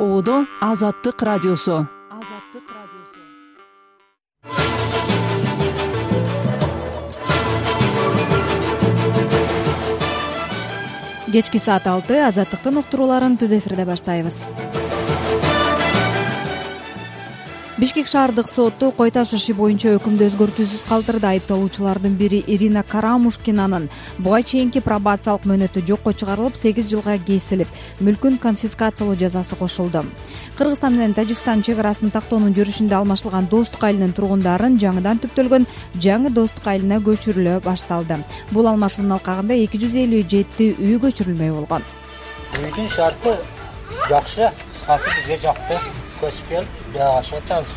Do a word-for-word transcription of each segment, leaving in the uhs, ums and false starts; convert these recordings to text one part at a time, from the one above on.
Оодо Азаттык радиосу. Кечки саат алты Азаттыктын уктурууларын түз эфирде баштайбыз. Бишкек шаардык соту кой таш иши боюнча өкүмдү өзгөртүүсүз калтырды. Айыпталуучулардын бири Ирина Карамушкинанын буга чейинки пробациялык мөөнөтү жокко чыгарылып, сегиз жылга кесилип, мүлкүн конфискациялоо жазасы кошулду. Кыргызстан менен Тажикстан чек арасын тактоонун жүрүшүндө алмашылган Достук айылынын тургундарын жаңыдан түптөлгөн жаңы Достук айылына көчүрүлө башталды. Бул алмашуунун алкагында эки жүз элүү жети үй көчүрүлмөй болгон. Үйдүн шарты жакшы, кыскасы бизге жакты. Көчүп келип, жагашып атабыз.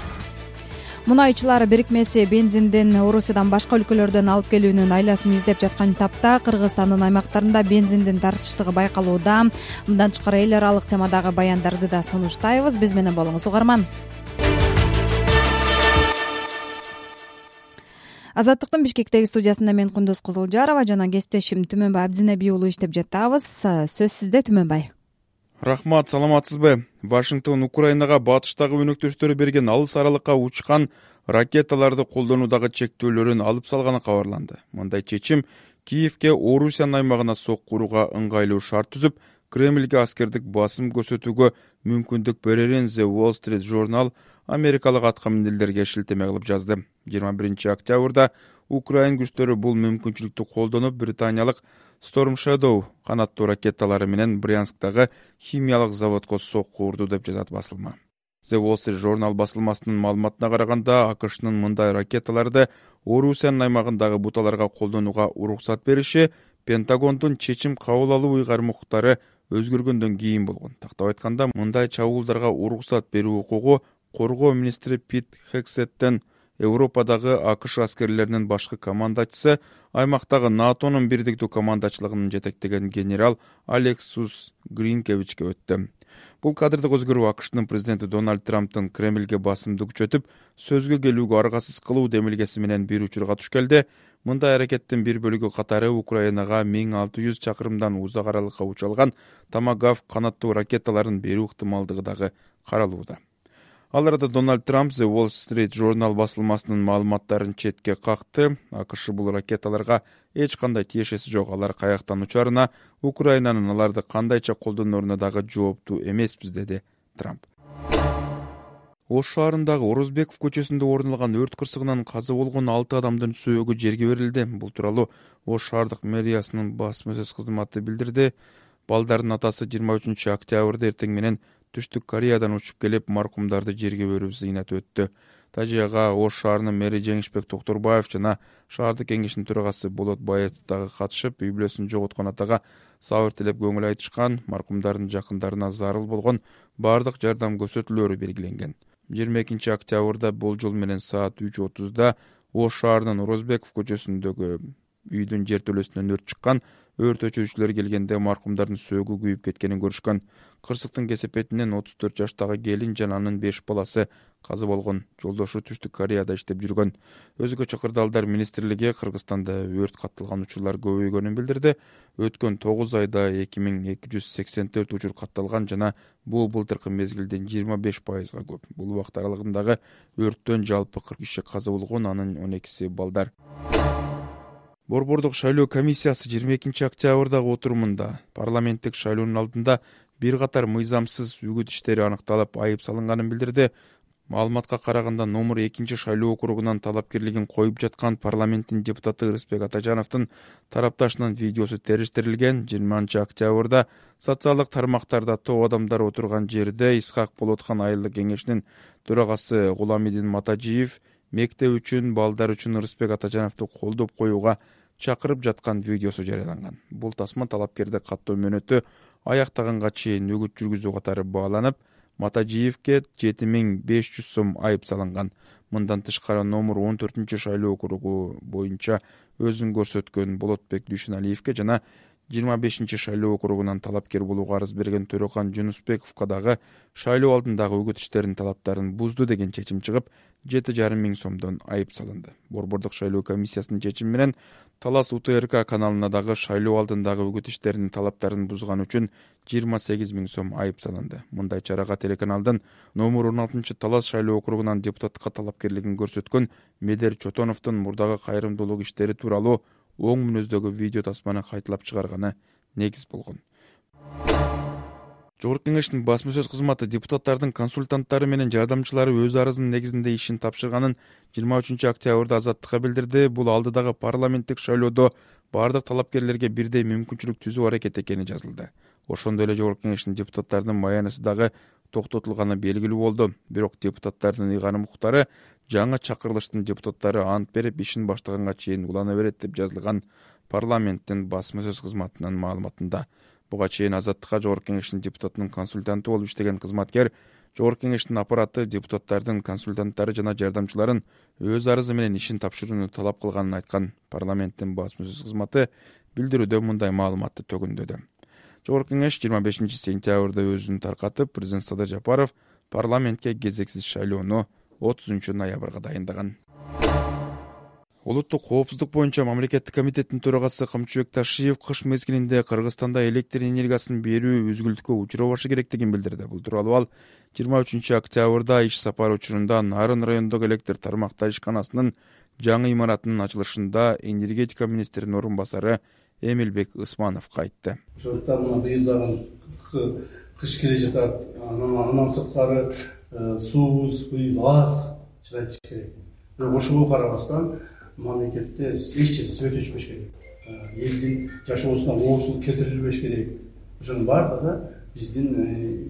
Мунайчылар бирикмеси бензиндин Орусиядан башка өлкөлөрдөн алып келүүнүн айласын издеп жаткан тапта Кыргызстандын аймактарында бензиндин тартыштыгы байкалууда. Мындан тышкары эл аралык темадагы баяндарды да сунуштайбыз. Биз менен болуңуз, угарман. Азаттыктын Бишкектеги студиясында мен Кундуз Кызылжарова жана кесиптешим Түмөнбай Абдинеби уулу иштеп жатабыз. Сөз сизде, Түмөнбай. Рахмат, саламатсызбы? Вашингтон Украинага батыштагы өнөктөштөрү берген алыс аралыкка учкан ракеталарды колдонуудагы чектөөлөрүн алып салганы кабарланды. Мындай чечим Киевке Орусиянын аймагына сок курууга ыңгайлуу шарт түзүп, Кремльге аскердик басым көрсөтүүгө мүмкүндүк берерин The Wall Street Journal америкалык аткаминерлерге шилтеме кылып жазды. жыйырма биринчи октябрда Украин күчтөрү бул мүмкүнчүлүктү колдонуп, британиялык Storm Shadow канаттуу ракеталары менен Брянсктагы химиялык заводко сок курду деп жазат басылма. The Wall Street Journal басылмасынын маалыматына караганда, АКШнын мындай ракеталарды Орусиянын аймагындагы буталарга колдонууга уруксат бериши Пентагондун чечим кабыл алуу ыйгармуктары өзгөргөндөн кийин болгон. Тактап айтканда, мындай чабуулдарга уруксат берүү укугу коргоо министри Пит Хексеттен Европадагы АКШ аскерлеринин башкы командачысы, аймактагы НАТОнун бирдиктүү командачылыгынын жетектеген генерал Алексус Гринкевичке өттү. Бул кадрдык өзгөрүү АКШнын президенти Дональд Трамптын Кремльге басымды күчөтүп, сөзгө келүүгө аргасыз кылуу демилгеси менен бир учурга туш келди. Мындай аракеттин бир бөлүгү катары Украинага миң алты жүз чакырымдан узак аралыкка учалган Томагавк канаттуу ракеталарын берүү ыктымалдыгы дагы каралууда. Ал арада Дональд Трамп The Wall Street Journal басылмасынын маалыматтарын четке какты. АКШ бул ракеталарга эч кандай тиешеси жок. Алар каяктан учарына, Украинанын аларды кандайча колдонооруна дагы жооптуу эмеспиз, деди Трамп. Ош шаарындагы Орозбеков көчөсүндө орун алган өрт кырсыгынан каза болгон алты адамдын сөөгү жерге берилди. Бул тууралуу Ош шаардык мэриясынын басма сөз кызматы билдирди. Балдардын атасы жыйырма үчүнчү октябрда эртең менен Түштүк Кореядан учуп келип, маркумдарды жерге берип зыйнат өттү. Тажияга Ош шаарынын мэри Жеңишбек Токторбаев жана шаардык кеңештин төрагасы Болот Баев дагы катышып, үй бүлөсүн жоготкон атага сабыр тилеп көңүл айтышкан. Маркумдардын жакындарына зарыл болгон бардык жардам көрсөтүүлөрү белгиленген. жыйырма экинчи октябрда болжол менен саат үч отузда Ош шаарынын Орозбеков көчөсүндөгү үйдүн жертөлөсүнөн өрт чыккан. Өрт өчүрүүчүлөр келгенде маркумдардын сөөгү күйүп кеткенин көрүшкөн. Кырсыктын кесепетинен отуз төрт жаштагы келин жана анын беш баласы каза болгон. Жолдошу Түштүк Кореяда иштеп жүргөн. Өзгөчө кырдаалдар министрлиги Кыргызстанда өрт катталган учурлар көбөйгөнүн билдирди. Өткөн тогуз айда эки миң эки жүз сексен төрт учур катталган жана бул былтыркы мезгилден жыйырма беш пайызга көп. Бул убакыт аралыгындагы өрттөн жалпы кырк киши каза болгон, анын он экиси балдар. Борбордук шайлоо комиссиясы жыйырма экинчи октябрдагы отурумунда парламенттик шайлоонун алдында бир катар мыйзамсыз үгүт иштери аныкталып, айып салынганын билдирди. Маалыматка караганда, номер экинчи шайлоо округунан талапкерлигин коюп жаткан парламенттин депутаты Ырысбек Атажановдун тарапташынын видеосу териштирилген. жыйырманчы октябрда социалдык тармактарда топ адамдар отурган жерде Исхак Болотхан айылдык кеңешинин төрагасы Гуламидин Матажиев мектеп үчүн, балдар үчүн Ырысбек Атажановду колдоп коюуга чакырып жаткан видеосу жарыяланган. Бул тасма талапкерди каттоо мөөнөтү аяктаганга чейин үгүт жүргүзүү катары бааланып, Матажиевке жети миң беш жүз сом айып салынган. Мындан тышкары номер он төртүнчү шайлоо округу боюнча өзүн көрсөткөн Болотбек Дүйшөналиевке жана жыйырма бешинчи шайлоо округунан талапкер болууга арыз берген Төрөкан Жунусбековго дагы шайлоо алдындагы үгүт иштеринин талаптарын бузду деген чечим чыгып, жети жарым миң сомдон айып салынды. Борбордук шайлоо комиссиясынын чечими менен Талас У Т Р К каналына дагы шайлоо алдындагы үгүт иштеринин талаптарын бузган үчүн жыйырма сегиз миң сом айып салынды. Мындай чарага телеканалдын номер он алтынчы Талас шайлоо округунан депутатка талапкерлигин көрсөткөн Медер Чотоновдун мурдагы кайрымдуулук иштери тууралуу оң мүнөздөгү видео тасманы кайталап чыгарганы негиз болгон. Жогорку Кеңештин басма сөз кызматы депутаттардын консультанттары менен жардамчылары өз арызынын негизинде ишин тапшырганын жыйырма үчүнчү октябрда Азаттыкка билдирди. Бул алдыдагы парламенттик шайлоодо бардык талапкерлерге бирдей мүмкүнчүлүк түзүү аракет экени жазылды. Ошондой эле Жогорку Кеңештин депутаттарынын маянысы дагы токтотулганы белгилүү болду. Бирок депутаттардын ыйгарым укуктары жаңы чакырылыштын депутаттары ант берип ишин баштаганга чейин улана берет деп жазылган парламенттин басма сөз кызматынын маалыматында. Буга чейин Азаттыкка Жогорку Кеңештин депутатынын консультанты болуп иштеген кызматкер Жогорку Кеңештин аппараты депутаттардын консультанттары жана жардамчыларын өз арызы менен ишин тапшырууну талап кылганын айткан. Парламенттин басма сөз кызматы билдирүүдө мындай маалыматты төгүндөдү. Жогорку Кеңеш жыйырма бешинчи сентябрда өзүн таркатып, президент Садыр Жапаров парламентке кезексиз шайлоону отузунчу ноябрга дайындаган. Улуттук коопсуздук боюнча мамлекеттик комитеттин төрагасы Камчыбек Ташиев кыш мезгилинде Кыргызстанда электр энергиясын берүү үзгүлтүккө учурабашы керектигин билдирди. Бул тууралуу ал жыйырма үчүнчү октябрда иш сапары учурунда Нарын райондогу электр тармактар ишканасынын жаңы имаратынын ачылышында энергетика министринин орун басары Эмилбек Ысмановго айтты. Ошондуктан мына быйыл кыш келе жатат, андан сырткары суубуз, быйыл аз чыдатыш керек. Бирок ошого карабастан мамлекетте эч жерде свет өчпөш керек. Элдин жашоосуна оорчулук келтирилбеш керек. Ошонун баардыгы биздин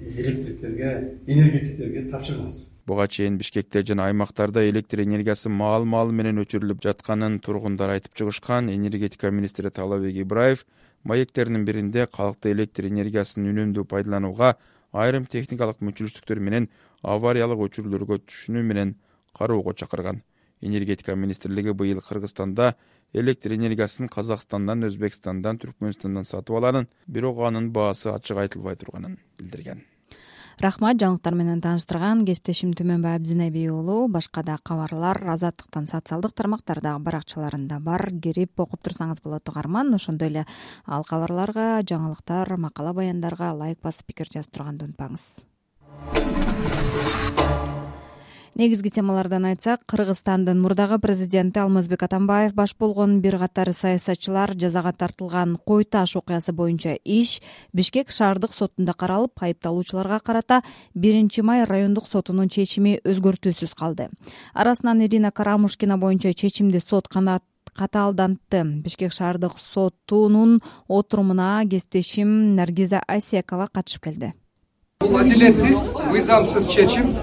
электриктерге, энергетиктерге тапшырмабыз. Буга чейин Бишкекте жана аймактарда электр энергиясы маал-маал менен өчүрүлүп жатканын тургундар айтып чыгышкан. Энергетика министри Талабек Ибраев маектеринин биринде калкты электр энергиясын үнөмдүү пайдаланууга айрым техникалык мүнчүлүктөр менен авариялык өчүрүүлөргө түшүнүү менен кароого чакырган. Энергетика министрлиги быйыл Кыргызстанда электр энергиясын Казакстандан, Өзбекстандан, Түркмөнстандан сатып алганын, бирок анын баасы ачык айтылбай турганын билдирген. Рахмат, жаңылыктар менен тааныштырган кесиптешим Түмөнбай Абдинеби уулу. Башка да кабарлар Азаттыктан социалдык тармактардагы баракчаларында бар. Кирип окуп турсаңыз болот угарман. Ошондой эле ал кабарларга, жаңылыктар, макала баяндарга лайк басып пикир жазып турганды унутпаңыз. Негизги темалардан айтсак, Кыргызстандын мурдагы президенти Алмазбек Атамбаев баш болгон бир катар саясатчылар жазага тартылган Кой Таш окуясы боюнча иш Бишкек шаардык сотунда каралып, айыпталуучуларга карата биринчи май райондук сотунун чечими өзгөртүүсүз калды. Арасынан Ирина Карамушкина боюнча чечимди сот катаалдантты. Бишкек шаардык сотунун отурумуна кесиптешим Наргиза Айсекова катышып келди. Бул адилетсиз, мыйзамсыз чечим.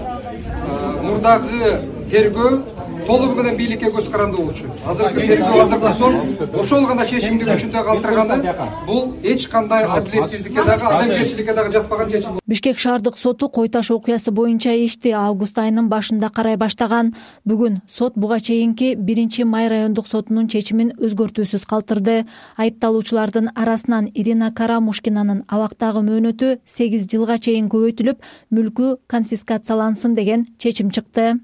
Мурдагы тергөө толугу менен бийликке көз каранды болчу. Азыркы тергөө, азыркы сот ошол гана чечимди күчүндө калтырганы бул эч кандай адилетсиздикке дагы, адамгерчиликке дагы жатпаган чечим. Бишкек шаардык соту Кой Таш окуясы боюнча ишти август айынын башында карай баштаган. Бүгүн сот буга чейинки биринчи май райондук сотунун чечимин өзгөртүүсүз калтырды. Айыпталуучулардын арасынан Ирина Карамушкинанын абактагы мөөнөтү сегиз жылга чейин көбөйтүлүп, мүлкү конфискациялансын деген чечим чыкты.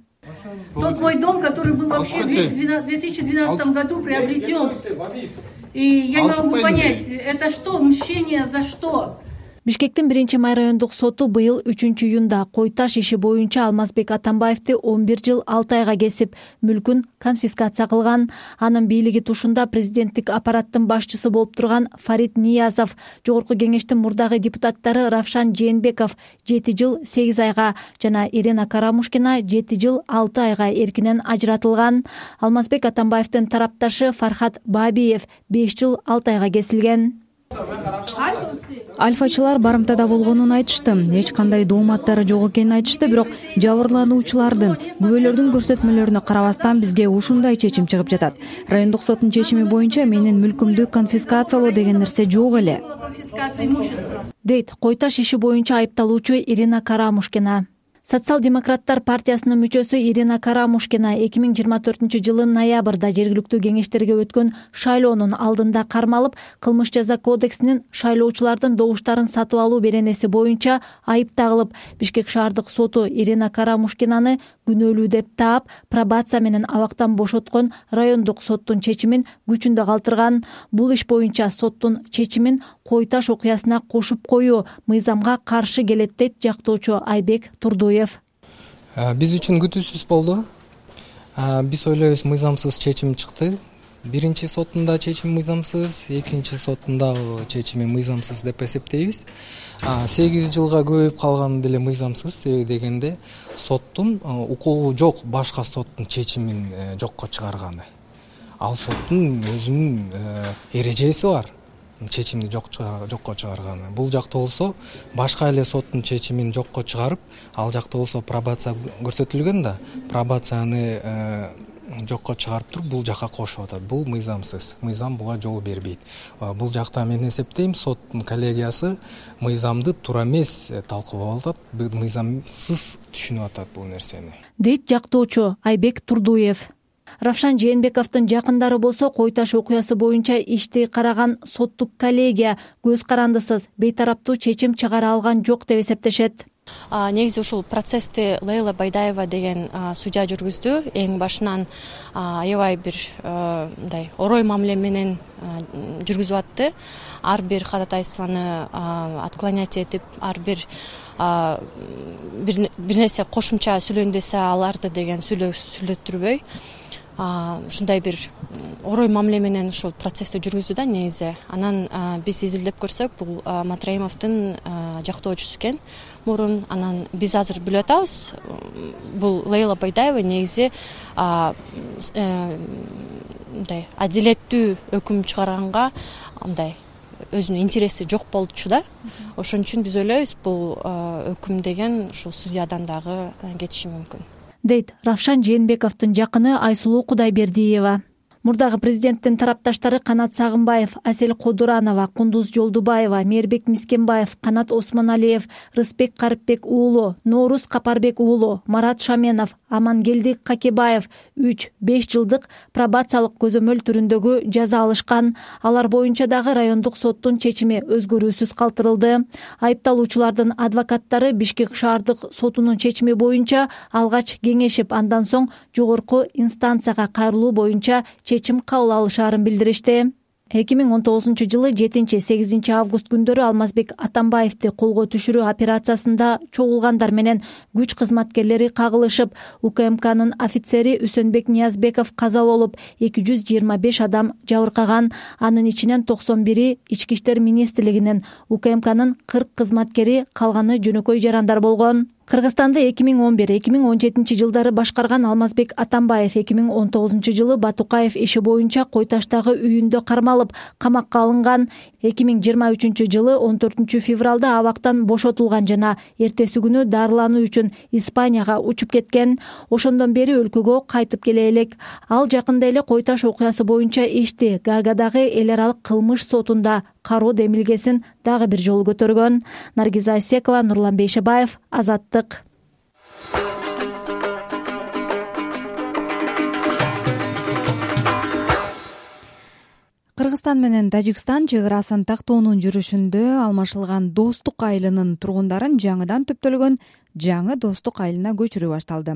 Тот мой дом, который был вообще в две тысячи двенадцатом году приобретен. И я не могу понять, это что, мщение за что? Бишкектин биринчи май райондук соту быйыл үчүнчү июнда Кой Таш иши боюнча Алмазбек Атамбаевди он бир жыл алты айга кесип, мүлкүн конфискация кылган. Анын бийлиги тушунда президенттик аппараттын башчысы болуп турган Фарид Ниязов, Жогорку Кеңештин мурдагы депутаттары Равшан Жээнбеков жети жыл сегиз айга жана Ирина Карамушкина жети жыл алты айга эркинен ажыратылган. Алмазбек Атамбаевдин тарапташы Фархат Бабиев беш жыл алты айга кесилген. Альфачылар барымтада болгонун айтышты. Эч кандай дооматтары жок экенин айтышты, бирок жабырлануучулардын, күбөлөрдүн көрсөтмөлөрүнө карабастан бизге ушундай чечим чыгып жатат. Райондук соттун чечими боюнча менин мүлкүмдү конфискациялоо деген нерсе жок эле, дейт Кой Таш иши боюнча айыпталуучу Ирина Карамушкина. Социал-демократтар партиясынын мүчөсү Ирина Карамушкина эки миң жыйырма төртүнчү жылы ноябрда жергиликтүү кеңештерге өткөн шайлоонун алдында кармалып, кылмыш жаза кодексинин шайлоочулардын добуштарын сатып алуу беренеси боюнча айып тагылып, Бишкек шаардык соту Ирина Карамушкинаны күнөөлүү деп таап, пробация менен абактан бошоткон райондук соттун чечимин күчүндө калтырган. Бул иш боюнча соттун чечимин Кой Таш окуясына кошуп коюу мыйзамга каршы келет дейт жактоочу Айбек Турдуев. Биз үчүн күтүүсүз болду. Биз ойлойбуз, мыйзамсыз чечим чыкты. Биринчи соттунда чечим мыйзамсыз, экинчи соттунда чечими мыйзамсыз деп эсептейбиз. сегиз жылга көбөйүп калганы деле мыйзамсыз, себеби дегенде соттун укугу жок башка соттун чечимин жокко чыгарганы. Ал соттун өзүнүн эрежеси бар. Чечимди жокко чыгарганы. Бул жакта болсо башка эле соттун чечимин жокко чыгарып, ал жакта болсо пробация көрсөтүлгөн да, пробацияны жокко чыгарып туруп бул жака кошуп атат. Бул мыйзамсыз. Мыйзам буга жол бербейт. Бул жакта мен эсептейм, соттун коллегиясы мыйзамды туура эмес талкуулап атат, мыйзамсыз түшүнүп атат бул нерсени. Дейт жактоочу Айбек Турдуев. Равшан Жээнбековдун жакындары болсо Кой Таш окуясы боюнча ишти караган соттук коллегия көз карандысыз бейтараптуу чечим чыгара алган жок деп эсептешет. Негизи ушул процессти Лейла Байдаева деген судья жүргүздү. Эң башынан аябай бир мындай орой мамиле менен жүргүзүп атты. Ар бир ходатайствону отклонять этип, ар бир бир нерсе кошумча сүйлөйүн десе аларды деген сүйлөттүрбөй, ушундай бир орой мамиле менен ушул процессти жүргүздү да негизи. Анан биз изилдеп көрсөк, бул Матраимовдун жактоочусу экен мурун. Анан биз азыр билип атабыз, бул Лейла Байдаева негизи мындай адилеттүү өкүм чыгарганга мындай өзүнүн интереси жок болчу да. Ошон үчүн биз ойлойбуз, бул өкүм деген ушул судьядан дагы кетиши мүмкүн. Дейт Равшан Жээнбековдун жакыны Айсулуу Кудайбердиева. Мурдагы президенттин тарапташтары Канат Сагынбаев, Асель Кодуранова, Кундуз Жолдубаева, Мээрбек Мискенбаев, Канат Осмоналиев, Рысбек Карыпбек уулу, Норуз Капарбек уулу, Марат Шаменов, Амангелди Какебаев үч беш жылдык пробациялык көзөмөл түрүндөгү жаза алышкан. Алар боюнча дагы райондук соттун чечими өзгөрүүсүз калтырылды. Айыпталуучулардын адвокаттары Бишкек шаардык сотунун чечими боюнча алгач кеңешип, андан соң жогорку инстанцияга кайрылуу боюнча чечим кабыл алышаарын билдиришти. эки миң он тогузунчу жылы жетинчи сегизинчи август күндөрү Алмазбек Атамбаевди колго түшүрүү операциясында чогулгандар менен күч кызматкерлери кагылышып, УКМКнын офицери Үсөнбек Ниязбеков каза болуп, эки жүз жыйырма беш адам жабыркаган. Анын ичинен токсон бири Ички иштер министрлигинин, УКМКнын кырк кызматкери, калганы жөнөкөй жарандар болгон. Кыргызстанды эки миң он бир эки миң он жетинчи жылдары башкарган Алмазбек Атамбаев эки миң он тогузунчу жылы Батукаев иши боюнча Кой Таштагы үйүндө кармалып, камакка алынган. эки миң жыйырма үчүнчү жылы он төртүнчү февралда абактан бошотулган жана эртеси күнү дарылануу үчүн Испанияга учуп кеткен. Ошондон бери өлкөгө кайтып келе элек. Ал жакында эле Кой Таш окуясы боюнча ишти Гаагадагы эл аралык кылмыш сотунда кароо демилгесин дагы бир жолу көтөргөн. Наргиза Асекова, Нурлан Бейшебаев, Азаттык. Кыргызстан менен Тажикстан чек арасын тактоонун жүрүшүндө алмашылган Достук айылынын тургундарын жаңыдан төптөлгөн жаңы Достук айылына көчүрүү башталды.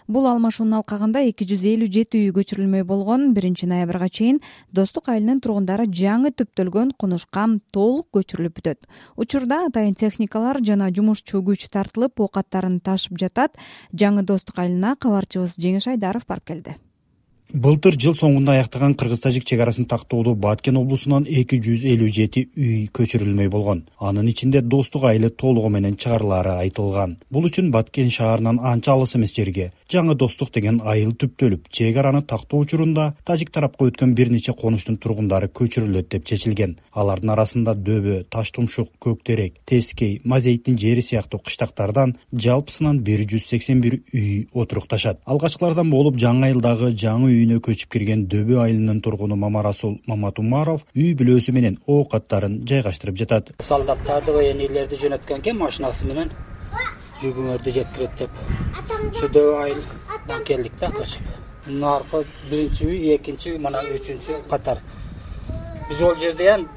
Бул алмашуунун алкагында эки жүз элүү жети үй көчүрүлмөй болгон. биринчи ноябрга чейин Достук айылынын тургундары жаңы төптөлгөн конушка толук көчүрүлүп бүтөт. Учурда атайын техникалар жана жумушчу күч тартылып, оокаттарын ташып жатат. Жаңы Достук айылына кабарчыбыз Жеңиш Айдаров барып келди. Былтыр жыл соңунда аяктаган кыргыз-тажик чек арасын тактоодо Баткен облусунан эки жүз элүү жети үй көчүрүлмөй болгон. Анын ичинде Достук айылы толугу менен чыгарылаары айтылган. Бул үчүн Баткен шаарынан анча алыс эмес жерге жаңы Достук деген айыл түптөлүп, чек араны тактоо учурунда тажик тарапка өткөн бир нече конуштун тургундары көчүрүлөт деп чечилген. Алардын арасында Дөбө, Таштумшук, Көктерек, Тескей, Мазейиттин жери сыяктуу кыштактардан жалпысынан бир жүз сексен бир үй отурукташат. Алгачкылардан болуп жаңы айылдагы жаңы үйүнө көчүп кирген Дөбө айылынын тургуну Мамарасул Маматумаров үй бүлөсү менен оокаттарын жайгаштырып жатат. Солдаттарды, военныйлерди жөнөткөнке машинасы менен жүгүңөрдү жеткирет деп ушу дөбө айылдан келдик да көчүп. Мына аркы биринчи үй, экинчи, мына үчүнчү катар. Биз ол жерде эм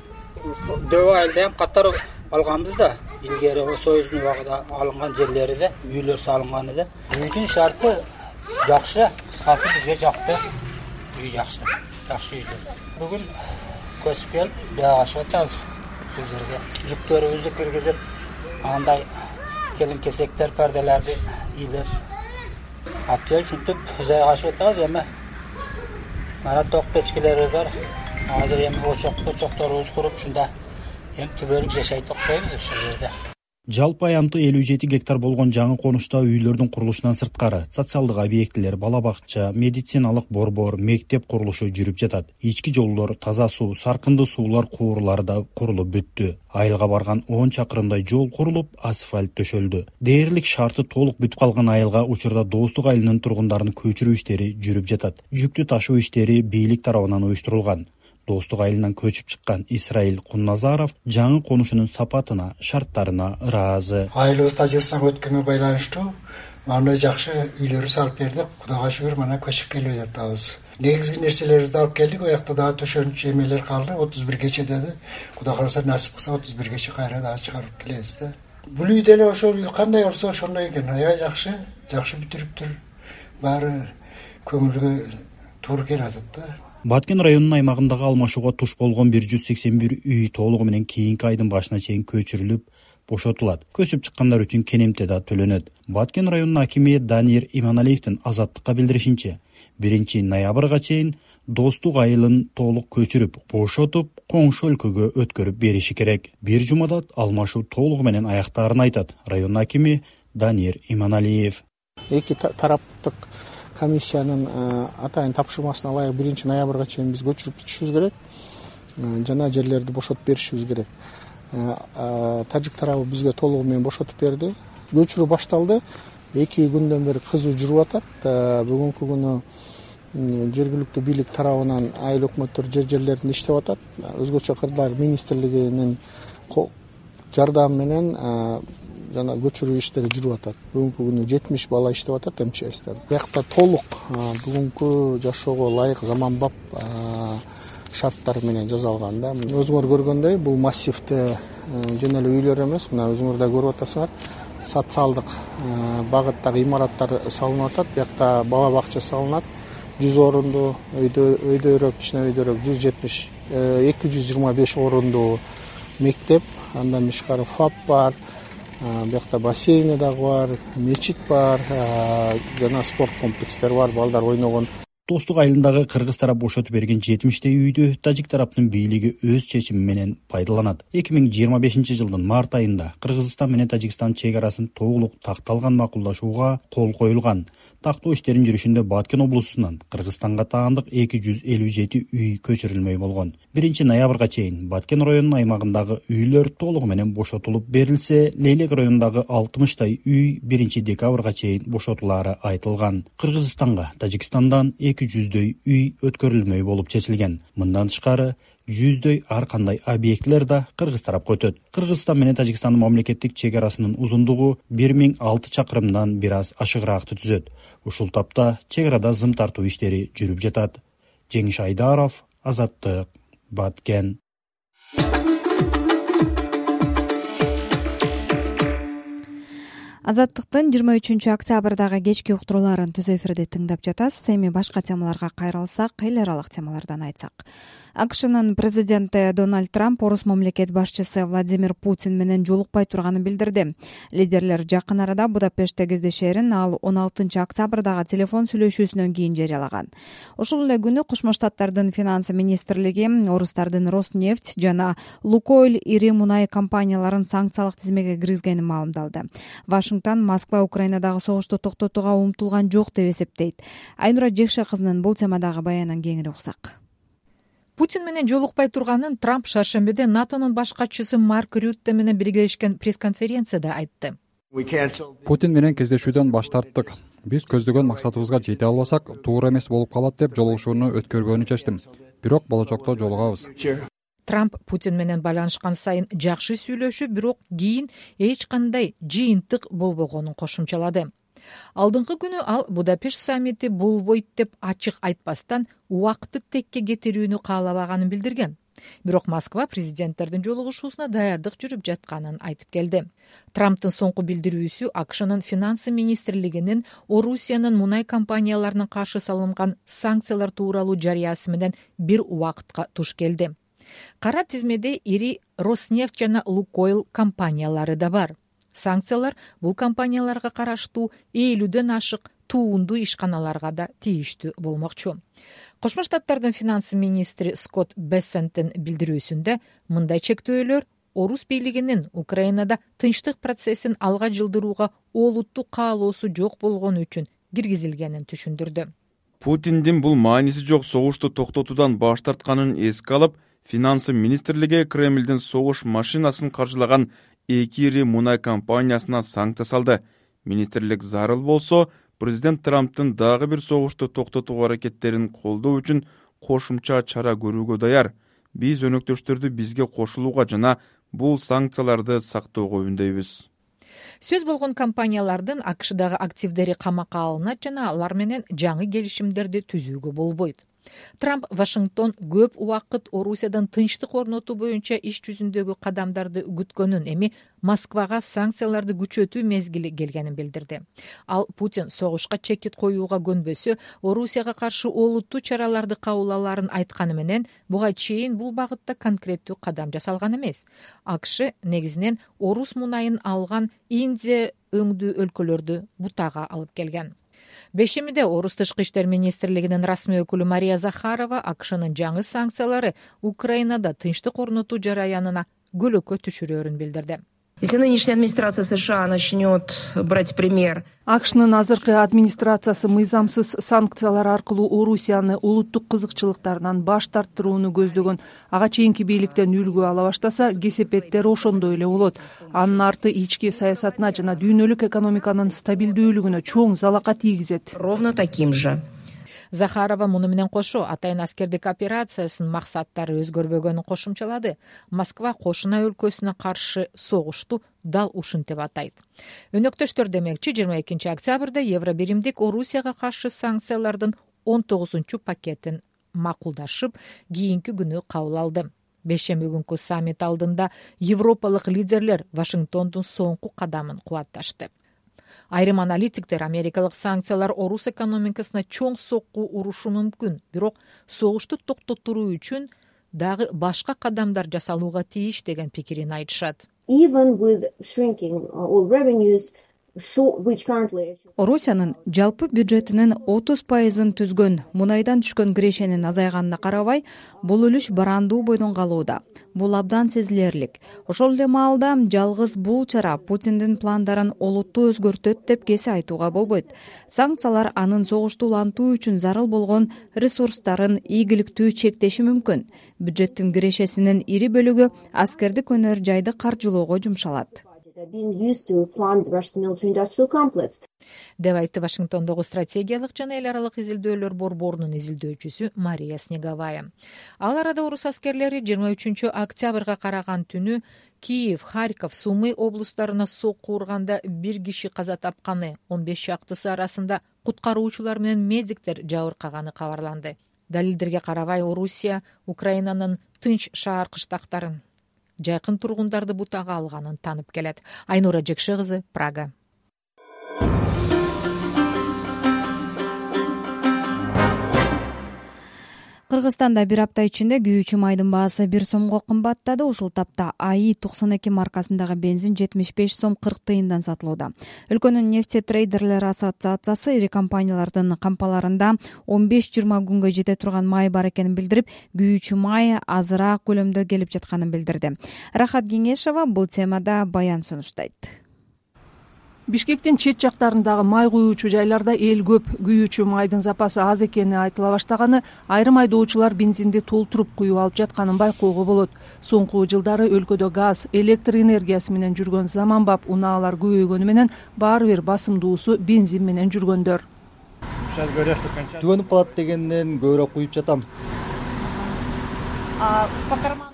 дөбө айылда эм катар алганбыз да. Илгери Союздун убагында алынган жерлерде үйлөр салынган эди. Үйдүн шарты жакшы, кыскасы бизге жакты. Үй жакшы, жакшы үйдү. Бүгүн көчүп келип, жайгашып атабыз бул жерге. Жүктөрүбүздү киргизип, андай келин-кесектер, перделерди илеп алып келип, ушинтип жайгашып атабыз. Эми мана ток печкелерибиз бар. Азыр эми очок-очокторубуз куруп, ушунда эми түбөлүк жашайт окшойбуз ушул жерде. Жалпы аянты элүү жети гектар болгон жаңы конушта үйлөрдүн курулушунан сырткары социалдык объектилер, бала бакча, медициналык борбор, мектеп курулушу жүрүп жатат. Ички жолдор, таза суу, саркынды суулар куурлары да курулуп бүттү. Айылга барган он чакырымдай жол курулуп, асфальт төшөлдү. Дээрлик шарты толук бүтүп калган айылга учурда Достук айылынын тургундарын көчүрүү иштери жүрүп жатат. Жүктү ташуу иштери бийлик тарабынан уюштурулган. Достук айылынан көчүп чыккан Исраил Кунназаров жаңы конушунун сапатына, шарттарына ыраазы. Айылыбыз Тажикстанга өткөнгө байланыштуу мындай жакшы үйлөрү салып бердик. Кудайга шүгүр, мына көчүп келип жатабыз. Негизги нерселерибизди алып келдик. Оякта дагы төшөнчү эмелер калды. отуз биргече деди. Кудай кааласа насип кылса отуз биргече кайра дагы чыгарып келебиз да. Бул үй деле ошол кандай болсо ошондой экен. Аябай жакшы, жакшы бүтүрүптүр. Баары көңүлгө туура келип атат да. Баткен районунун аймагындагы алмашууга туш болгон бир жүз сексен бир үй толугу менен кийинки айдын башына чейин көчүрүлүп, бошотулат. Көчүп чыккандар үчүн кенемте да төлөнөт. Баткен районунун акими Данир Иманалиевдин Азаттыкка билдиришинче, биринчи ноябрга чейин Достук айылын толук көчүрүп, бошотуп, коңшу өлкөгө өткөрүп бериши керек. Бир жумада алмашуу толугу менен аяктаарын айтат район акими Данир Иманалиев. Эки тараптык комиссиянын атайын тапшырмасына ылайык биринчи ноябрга чейин биз көчүрүп бүтүшүбүз керек. Жана жерлерди бошотуп беришибиз керек. Тажик тарабы бизге толугу менен бошотуп берди. Көчүрүү башталды. эки күндөн бери кызуу жүрүп атат. Бүгүнкү күнү жергиликтүү бийлик тарабынан айыл өкмөттөр жер жерлеринде иштеп атат. Өзгөчө кырдаал министрлигинин жардамы менен жана көчүрүү иштери жүрүп атат. Бүгүнкү күнү жетимиш бала иштеп атат эм че эстен. Биякта толук бүгүнкү жашоого ылайык заманбап шарттар менен жасалган да. Өзүңөр көргөндөй, бул массивде жөн эле үйлөр эмес, мына өзүңөр да көрүп атасыңар. Социалдык багыттагы имараттар салынып атат. Биякта бала бакча салынат. жүз орунду, өйдөрөөк, кичине өйдөрөөк жүз жетимиш, эки жүз жыйырма беш орунду мектеп, андан тышкары ФАП бар. Биякта бассейни дагы бар, мечит бар, жана спорт комплекстери бар, балдар ойногон. Достук айылындагы кыргыз тарап бошотуп берген жетимиштей үйдү тажик тараптын бийлиги өз чечими менен пайдаланат. эки миң жыйырма бешинчи жылдын март айында Кыргызстан менен Тажикстан чек арасын толук такталган макулдашууга кол коюлган. Тактоо иштерин жүрүшүндө Баткен облусунан Кыргызстанга таандык эки жүз элүү жети үй көчүрүлмөй болгон. биринчи ноябрга чейин Баткен районунун аймагындагы үйлөр толугу менен бошотулуп берилсе, Лейлек районундагы алтымыштай үй биринчи декабрга чейин бошотулаары айтылган. Кыргызстанга Тажикстандан эки жүздөй үй өткөрүлмөй болуп чечилген. Мындан тышкары жүздөй ар кандай объектилер да кыргыз тарапка өтөт. Кыргызстан менен Тажикстандын мамлекеттик чек арасынын узундугу бир миң алты чакырымдан бир аз ашыгыраакты түзөт. Ушул тапта чек арада зым тартуу иштери жүрүп жатат. Жеңиш Айдаров, Азаттык, Баткен. Азаттыктын жыйырма үчүнчү октябрдагы кечки уктурууларын түз эфирде тыңдап жатасыз. Эми башка темаларга кайрылсак, эл аралык темалардан айтсак. АКШнын президенти Дональд Трамп орус мамлекет башчысы Владимир Путин менен жолукпай турганын билдирди. Лидерлер жакын арада Будапештте кездешерин ал он алтынчы октябрдагы телефон сүйлөшүүсүнөн кийин жарыялаган. Ошол эле күнү Кошмо Штаттардын финансы министрлиги орустардын Роснефть жана Лукойл ири мунай компанияларын санкциялык тизмеге киргизгенин маалымдалды. Вашингтон Москва Украинадагы согушту токтотууга умтулган жок деп эсептейт. Айнура Жекше кызынын бул темадагы баянын кеңири уксак. Путин менен жолукпай турганын Трамп шаршембиде НАТОнун баш катчысы Марк Рютте менен биргелешкен пресс-конференцияда айтты. Путин менен кездешүүдөн баш тарттык. Биз көздөгөн максатыбызга жете албасак, туура эмес болуп калат деп жолугушууну өткөрбөөнү чечтим. Бирок болочокто жолугабыз. Трамп Путин менен байланышкан сайын жакшы сүйлөшүп, бирок кийин эч кандай жыйынтык болбогонун кошумчалады. Алдыңкы күнү ал Будапешт саммити болбойт деп ачык айтпастан убакытты текке кетирүүнү каалабаганын билдирген. Бирок Москва президенттердин жолугушуусуна даярдык жүрүп жатканын айтып келди. Трамптын соңку билдирүүсү АКШнын финансы министрлигинин Орусиянын мунай компанияларына каршы салынган санкциялар тууралуу жарыясы менен бир убакытка туш келди. Кара тизмеде ири Роснефть жана Лукойл компаниялары да бар. Санкциялар бул компанияларга караштуу элүүдөн ашык туунду ишканаларга да тийиштүү болмокчу. Кошмо Штаттардын финансы министри Скотт Бессенттин билдирүүсүндө мындай чектөөлөр орус бийлигинин Украинада тынчтык процессин алга жылдырууга олуттуу каалоосу жок болгону үчүн киргизилгенин түшүндүрдү. Путиндин бул мааниси жок согушту токтотуудан баш тартканын эске алып, финансы министрлиги Кремлдин согуш машинасын каржылаган эки ири мунай компаниясына санкция салды. Министрлик зарыл болсо, президент Трамптын дагы бир согушту токтотуу аракеттерин колдоо үчүн кошумча чара көрүүгө даяр. Биз өнөктөштөрдү бизге кошулууга жана бул санкцияларды сактоого үндөйбүз. Сөз болгон компаниялардын АКШдагы активдери камакка алынат жана алар менен жаңы келишимдерди түзүүгө болбойт. Трамп Вашингтон көп убакыт Орусиядан тынчтык орнотуу боюнча иш жүзүндөгү кадамдарды күткөнүн, эми Москвага санкцияларды күчөтүү мезгили келгенин билдирди. Ал Путин согушка чекит коюуга көнбөсө, Орусияга каршы олуттуу чараларды кабыл аларын айтканы менен, буга чейин бул багытта конкреттүү кадам жасалган эмес. АКШ негизинен орус мунайын алган Индия өңдүү өлкөлөрдү бутага алып келген. Бешемиде орус тышкы иштер министрлигинин расмий өкүлү Мария Захарова АКШнын жаңы санкциялары Украинада тынчтык орнотуу жараянына көлөкө түшүрөөрүн билдирди. Если нынешняя администрация США начнет брать пример. АКШнын азыркы администрациясы мыйзамсыз санкциялар аркылуу Орусияны улуттук кызыкчылыктарынан баш тарттырууну көздөгөн ага чейинки бийликтен үлгү ала баштаса, кесепеттер ошондой эле болот. Анын арты ички саясатына жана дүйнөлүк экономиканын стабилдүүлүгүнө чоң залака тийгизет. Ровно таким же. Захарова муну менен кошо атайын аскердик операциясынын максаттары өзгөрбөгөнүн кошумчалады. Москва кошуна өлкөсүнө каршы согушту дал ушинтип атайт. Өнөктөштөр демекчи, жыйырма экинчи октябрда Евробиримдик Орусияга каршы санкциялардын он тогузунчу пакетин макулдашып, кийинки күнү кабыл алды. Бешемби күнкү саммит алдында европалык лидерлер Вашингтондун соңку кадамын кубатташты. Айрым аналитиктер америкалык санкциялар орус экономикасына чоң сокку урушу мүмкүн, бирок согушту токтотуруу үчүн дагы башка кадамдар жасалууга тийиш деген пикирин айтышат. Even with shrinking oil revenues, Орусиянын жалпы бюджетинин отуз пайызын түзгөн мунайдан түшкөн кирешенин азайганына карабай, бул үлүш барандуу бойдон калууда. Бул абдан сезилерлик. Ошол эле маалда жалгыз бул чара Путиндин пландарын олуттуу өзгөртөт деп кесе айтууга болбойт. Санкциялар анын согушту улантуу үчүн зарыл болгон ресурстарын ийгиликтүү чектеши мүмкүн. Бюджеттин кирешесинин ири бөлүгү аскердик өнөр жайды каржылоого жумшалат. деп айтты Вашингтондогу стратегиялык жана эл аралык изилдөөлөр борборунун изилдөөчүсү Мария Снеговая. Ал арада орус аскерлери жыйырма үчүнчү октябрга караган түнү Киев, Харьков, Сумы облустарына сокку урганда бир киши каза тапканы, он беш чактысы арасында куткаруучулар менен медиктер жабыркаганы кабарланды. Далилдерге карабай, Орусия Украинанын тынч шаар кыштактарын, жайкын тургундарды бутага алганын танып келет. Айнура Жекше кызы, Прага. Кыргызстанда бир апта ичинде күйүүчү майдын баасы бир сомго кымбаттады. Ушул тапта АИ токсон эки маркасындагы бензин жетимиш беш сом кырк тыйындан сатылууда. Өлкөнүн нефтетрейдерлер ассоциациясы ири компаниялардын кампаларында он беш жыйырма күнгө жете турган май бар экенин билдирип, күйүүчү май азыраак көлөмдө келип жатканын билдирди. Рахат Кеңешова бул темада баян сунуштайт. Бишкектин чет жактарындагы май куюучу жайларда эл көп, күйүүчү майдын запасы аз экени айтыла баштаганы айрым айдоочулар бензинди толтуруп куюп алып жатканын байкоого болот. Соңку жылдары өлкөдө газ, электр энергиясы менен жүргөн заманбап унаалар көбөйгөнү менен баары бир басымдуусу бензин менен жүргөндөр. Түгөнүп калат дегенден көбүрөөк куюп жатам.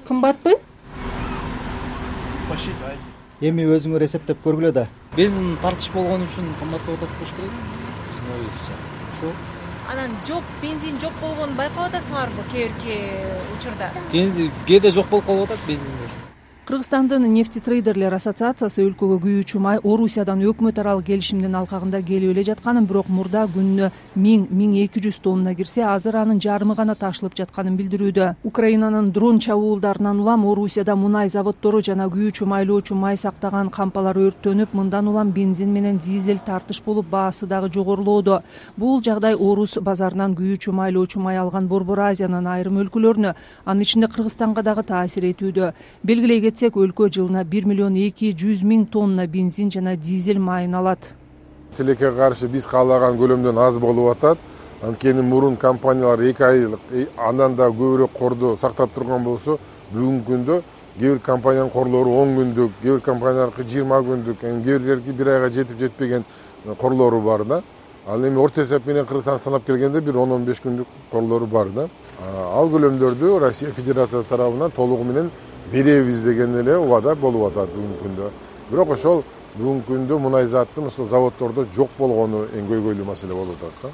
кымбатпы? Эми өзүңөр эсептеп көргүлө да. Бензин тартыш болгон үчүн кымбаттап атат болуш керек. Биздин оюбузча. Ошо. Анан жок, бензин жок болгонун байкап атасыңарбы кээ бирки учурда? Кээде жок болуп калып атат бензиндер. Кыргызстандын нефтетрейдерлер ассоциациясы өлкөгө күйүүчү май Орусиядан өкмөт аралык келишимдин алкагында келип эле жатканын, бирок мурда күнүнө миң миң эки жүз тонна кирсе, азыр анын жарымы гана ташылып жатканын билдирүүдө. Украинанын дрон чабуулдарынан улам Орусияда мунай заводдору жана күйүүчү майлоочу май сактаган кампалар өрттөнүп, мындан улам бензин менен дизель тартыш болуп, баасы дагы жогорулоодо. Бул жагдай Орус базарынан күйүүчү майлоочу май алган Борбор Азиянын айрым өлкөлөрүнө, анын ичинде Кыргызстанга дагы таасир этүүдө. Белгилей кетсек, өлкө жылына бир миллион эки жүз миң тонна бензин жана дизель майын алат. Тилекке каршы биз каалаган көлөмдөн аз болуп атат. Анткени мурун компаниялар эки айлык, андан да көбүрөөк корду сактап турган болсо, бүгүнкү күндө кээ бир компаниянын корлору он күндүк, кээ бир компаниялардыкы жыйырма күндүк, кээ бирлерки бир айга жетип жетпеген корлору бар да. Ал эми орто эсеп менен Кыргызстан санап келгенде бир он он беш күндүк корлору бар да. Ал көлөмдөрдү Россия Федерациясы тарабынан толугу менен беребиз деген эле убада болуп атат бүгүнкү күндө. Бирок ошол бүгүнкү күндө мунай заттын ошол заводдордо жок болгону эң көйгөйлүү маселе болуп атат да.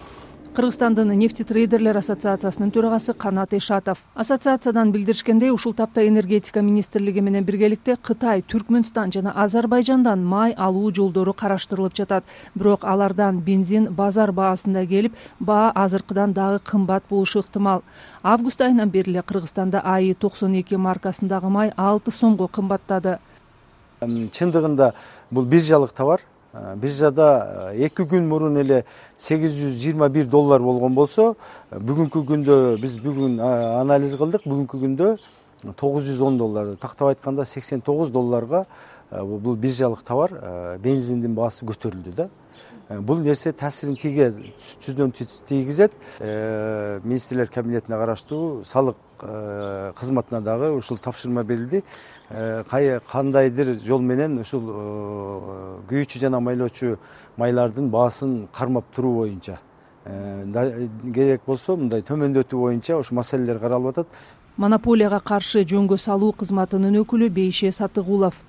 Кыргызстандын нефтетрейдерлер ассоциациясынын төрагасы Канат Ишатов. Ассоциациядан билдиришкендей, ушул тапта энергетика министрлиги менен биргеликте Кытай, Түркмөнстан жана Азербайжандан май алуу жолдору караштырылып жатат. Бирок алардан бензин базар баасында келип, баа азыркыдан дагы кымбат болушу ыктымал. Август айынан бери эле Кыргызстанда А И токсон эки маркасындагы май алты сомго кымбаттады. Чындыгында бул биржалык товар. Биржада эки күн мурун эле сегиз жүз жыйырма бир доллар болгон болсо, бүгүнкү күндө биз бүгүн анализ кылдык, бүгүнкү күндө тогуз жүз он доллар, тактап айтканда сексен тогуз долларга бул биржалык товар, бензиндин баасы көтөрүлдү да. Бул нерсе таасирин тийгизет, түздөн түз тийгизет. Министрлер кабинетине караштуу салык кызматына дагы ушул тапшырма берилди. Кандайдыр жол менен ушул күйүүчү жана майлоочу майлардын баасын кармап туруу боюнча, керек болсо мындай төмөндөтүү боюнча ушу маселелер каралып атат. Монополияга каршы жөнгө салуу кызматынын өкүлү Бейше Сатыгулов.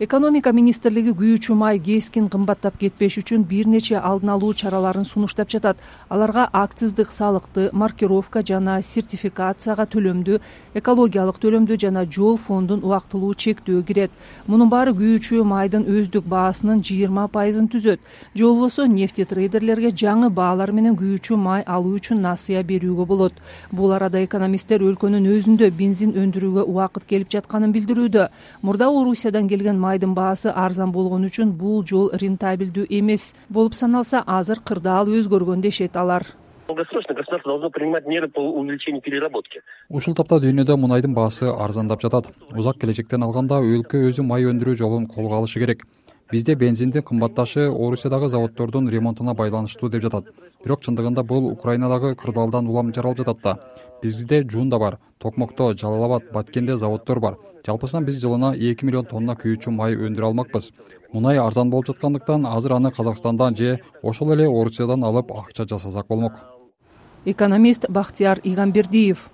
Экономика министрлиги күйүүчү май кескин кымбаттап кетпеш үчүн бир нече алдын алуу чараларын сунуштап жатат. Аларга акциздик салыкты, маркировка жана сертификацияга төлөмдү, экологиялык төлөмдү жана жол фондун убактылуу чектөө кирет. Мунун баары күйүүчү майдын өздүк баасынын жыйырма пайызын түзөт. Же болбосо нефтетрейдерлерге жаңы баалар менен күйүүчү май алуу үчүн насыя берүүгө болот. Бул арада экономисттер өлкөнүн өзүндө бензин өндүрүүгө убакыт келип жатканын билдирүүдө. Мурда Орусиядан келген майдын баасы арзан болгон үчүн бул жол рентабелдүү эмес болуп саналса, азыр кырдаал өзгөргөн дешет алар. Долгосрочно государство должно принимать меры по увеличению переработки. Ушул тапта дүйнөдө мунайдын баасы арзандап жатат. Узак келечектен алганда өлкө өзү май өндүрүү жолун колго алышы керек. Бизде бензиндин кымбатташы Орусиядагы заводдордун ремонтуна байланыштуу деп жатат. Бирок чындыгында бул Украинадагы кырдаалдан улам жаралып жатат да. Бизде Жуунда бар, Токмокто, Жалал Абад, Баткенде заводдор бар. Жалпысынан биз жылына эки миллион тонна күйүүчү май өндүрө алмакпыз. Мунай арзан болуп жаткандыктан азыр аны Казакстандан же ошол эле Орусиядан алып акча жасасак болмок. Экономист Бактияр Игамбердиев.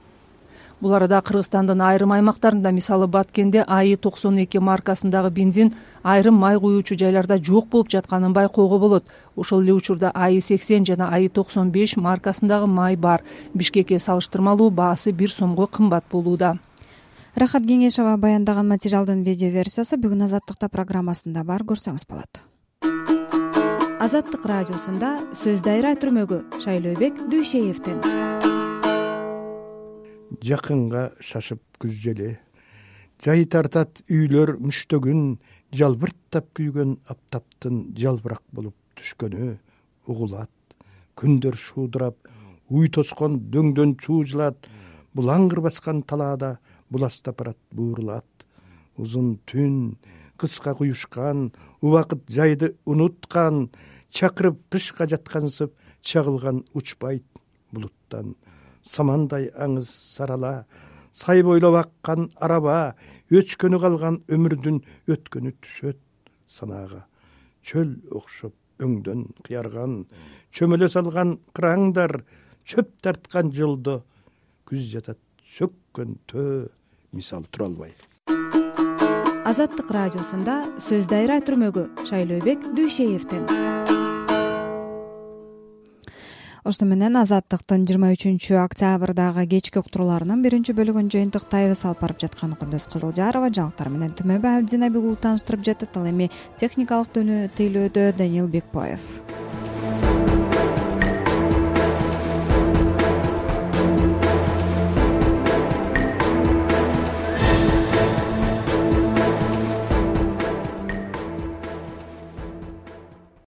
Бул арада Кыргызстандын айрым аймактарында, мисалы Баткенде А И токсон эки маркасындагы бензин айрым май куюучу жайларда жок болуп жатканын байкоого болот. Ошол эле учурда А И сексен жана А И токсон беш маркасындагы май бар. Бишкекке салыштырмалуу баасы бир сомго кымбат болууда. Рахат Кеңешова баяндаган материалдын видео версиясы бүгүн Азаттыкта программасында бар, көрсөңүз болот. Азаттык радиосунда сөз дайра түрмөгү Шайлообек Дүйшеевден. Жакынга шашып күз жели, жай тартат үйлөр мүштөгүн, жалбырттап күйгөн аптаптын жалбырак болуп түшкөнү угулат. Күндөр шуудурап, уй тоскон дөңдөн чуужулат, булаңгыр баскан талаада буластап барат буурулат. Узун түн, кыска куюшкан, убакыт жайды унуткан, чакырып кышка жаткансып чагылган учпайт булуттан. Самандай аңыз сарала, сай бойлоп аккан араба, өчкөнү калган өмүрдүн өткөнү түшөт санаага. Чөл окшоп өңдөн кыярган, чөмөлө салган кыраңдар, чөп тарткан жолдо күз жатат сөккөн төө мисалы тура албайм. Азаттык радиосунда сөз дайра түрмөгү Шайлообек Дүйшеевден. Ошто менен Азаттыктын жыйырма үчүнчү октябрдагы кечки уктурууларынын биринчи бөлүгүн жыйынтыктайбыз. Алып барып жаткан Кундуз Кызылжарова, жаңылыктар менен Түмөбай Абдинабил улуу тааныштырып жатат. Ал эми техникалык тейлөөдө Даниил Бекбаев.